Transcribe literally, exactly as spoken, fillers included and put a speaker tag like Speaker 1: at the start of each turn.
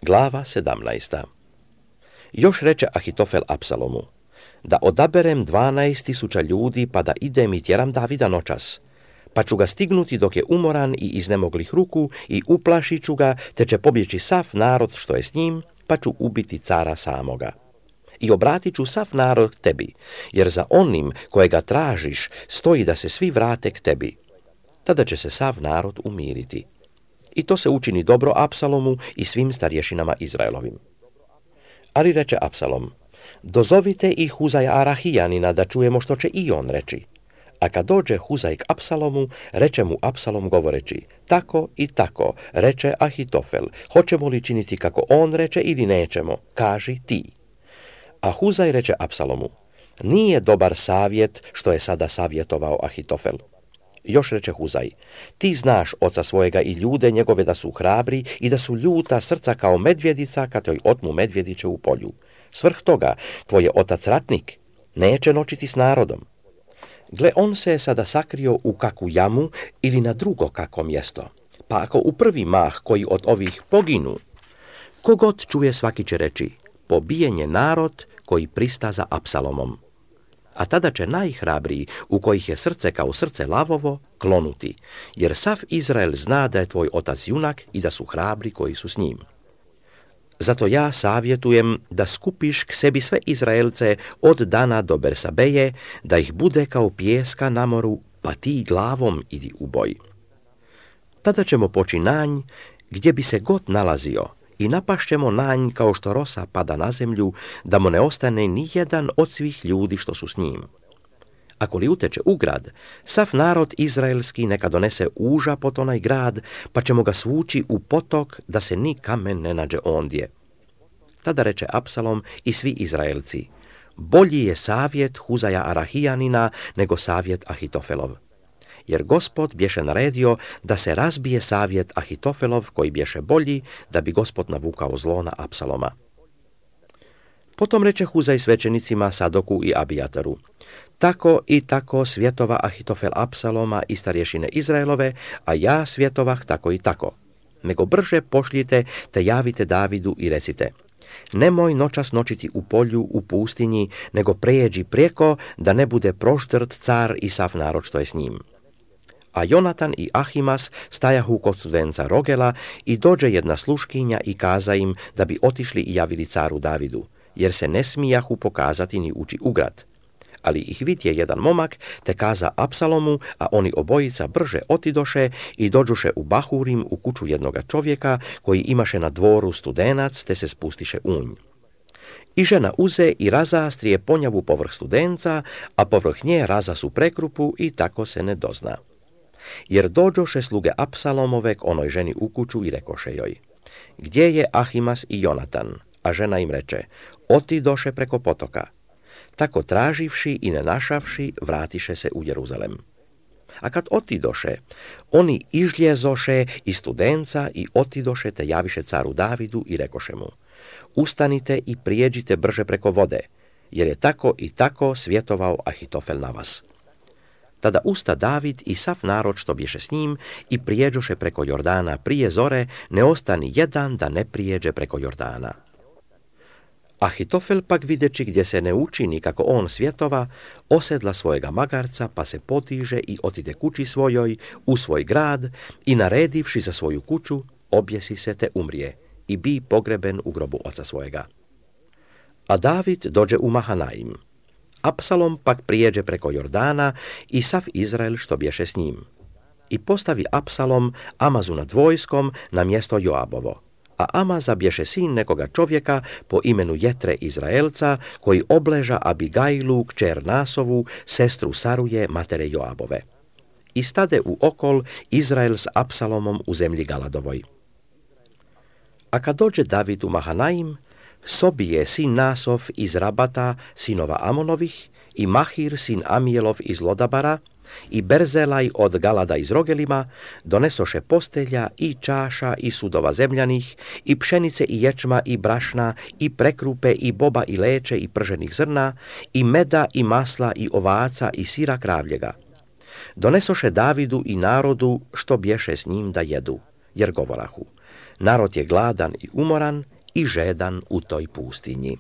Speaker 1: Glava sedamnaesta. Još reče Ahitofel Apsalomu: da odaberem dvanaest tisuća ljudi pa da idem i tjeram Davida noćas, pa ću ga stignuti dok je umoran i iznemoglih ruku i uplašit ću ga, te će pobjeći sav narod što je s njim, pa ću ubiti cara samoga. I obratit ću sav narod tebi, jer za onim kojega tražiš stoji da se svi vrate k tebi. Tada će se sav narod umiriti. I to se učini dobro Apsalomu i svim starješinama Izraelovim. Ali reče Apsalom: dozovite i Huzaja Arahijanina da čujemo što će i on reći. A kad dođe Huzaj k Apsalomu, reče mu Apsalom govoreći: tako i tako, reče Ahitofel, hoćemo li činiti kako on reče ili nećemo, kaži ti. A Huzaj reče Apsalomu: nije dobar savjet što je sada savjetovao Ahitofel. Još reče Huzaj: ti znaš oca svojega i ljude njegove da su hrabri i da su ljuta srca kao medvjedica kad joj otmu medvjediće u polju. Svrh toga, tvoj je otac ratnik, neće noćiti s narodom. Gle, on se je sada sakrio u kakvu jamu ili na drugo kako mjesto. Pa ako u prvi mah koji od ovih poginu, kogod čuje svaki će reći: pobijen je narod koji prista za Apsalomom. A tada će najhrabriji, u kojih je srce kao srce lavovo, klonuti, jer sav Izrael zna da je tvoj otac junak i da su hrabri koji su s njim. Zato ja savjetujem da skupiš k sebi sve Izraelce od Dana do Bersabeje, da ih bude kao pijeska na moru, pa ti glavom idi u boj. Tada ćemo poći nanj gdje bi se god nalazio i napašćemo nanj kao što rosa pada na zemlju, da mu ne ostane ni jedan od svih ljudi što su s njim. Ako li uteče u grad, sav narod izraelski neka donese uža pod onaj grad, pa ćemo ga svući u potok da se ni kamen ne nađe ondje. Tada reče Apsalom i svi Izraelci: bolji je savjet Huzaja Arahijanina nego savjet Ahitofelov. Jer Gospod bješe naredio da se razbije savjet Ahitofelov koji bješe bolji, da bi Gospod navukao zlo na Apsaloma. Potom reče Huzaj svećenicima Sadoku i Abijataru: tako i tako svjetova Ahitofel Apsaloma i starješine Izraelove, a ja svjetovah tako i tako. Nego brže pošljite te javite Davidu i recite: nemoj noćas noćiti u polju u pustinji, nego prejeđi prijeko, da ne bude proštrt car i sav narod što je s njim. A Jonatan i Ahimas stajahu kod studenca Rogela i dođe jedna sluškinja i kaza im da bi otišli i javili caru Davidu, jer se ne smijahu pokazati ni ući u grad. Ali ih vidje jedan momak, te kaza Apsalomu, a oni obojica brže otidoše i dođuše u Bahurim u kuću jednoga čovjeka koji imaše na dvoru studenac, te se spustiše unj. I žena uze i razastrije ponjavu povrh studenca, a povrh nje raza su prekrupu i tako se ne dozna. Jer dođoše sluge Apsalomove k onoj ženi u kuću i rekoše joj: gdje je Ahimas i Jonatan? A žena im reče: otidoše preko potoka. Tako traživši i ne našavši, vratiše se u Jeruzalem. A kad otidoše, oni ižljezoše iz studenca i otidoše te javiše caru Davidu i rekoše mu: ustanite i prijeđite brže preko vode, jer je tako i tako svjetovao Ahitofel na vas. Tada usta David i sav narod što bješe s njim i prijeđoše preko Jordana prije zore, ne ostani jedan da ne prijeđe preko Jordana. Ahitofel pak videći gdje se ne učini kako on svjetova, osedla svojega magarca pa se potiže i otide kući svojoj u svoj grad i naredivši za svoju kuću, objesi se te umrije i bi pogreben u grobu oca svojega. A David dođe u Mahanaim. Apsalom pak prijeđe preko Jordana i sav Izrael što bješe s njim. I postavi Apsalom Amazu nad vojskom na mjesto Joabovo. A Amaza bješe sin nekoga čovjeka po imenu Jetre Izraelca, koji obleža Abigailu, kćer Nasovu, sestru Saruje, matere Joabove. I stade u okol Izrael s Apsalomom u zemlji Galadovoj. A kad dođe David u Mahanaim, Sobije sin Nasov iz Rabata, sinova Amonovih, i Mahir sin Amijelov iz Lodabara, i Berzelaj od Galada iz Rogelima, donesoše postelja i čaša i sudova zemljanih, i pšenice i ječma i brašna, i prekrupe i boba i leće i prženih zrna, i meda i masla i ovaca i sira kravljega. Donesoše Davidu i narodu što bješe s njim da jedu, jer govorahu: Narod je gladan i umoran i žedan u toj pustinji.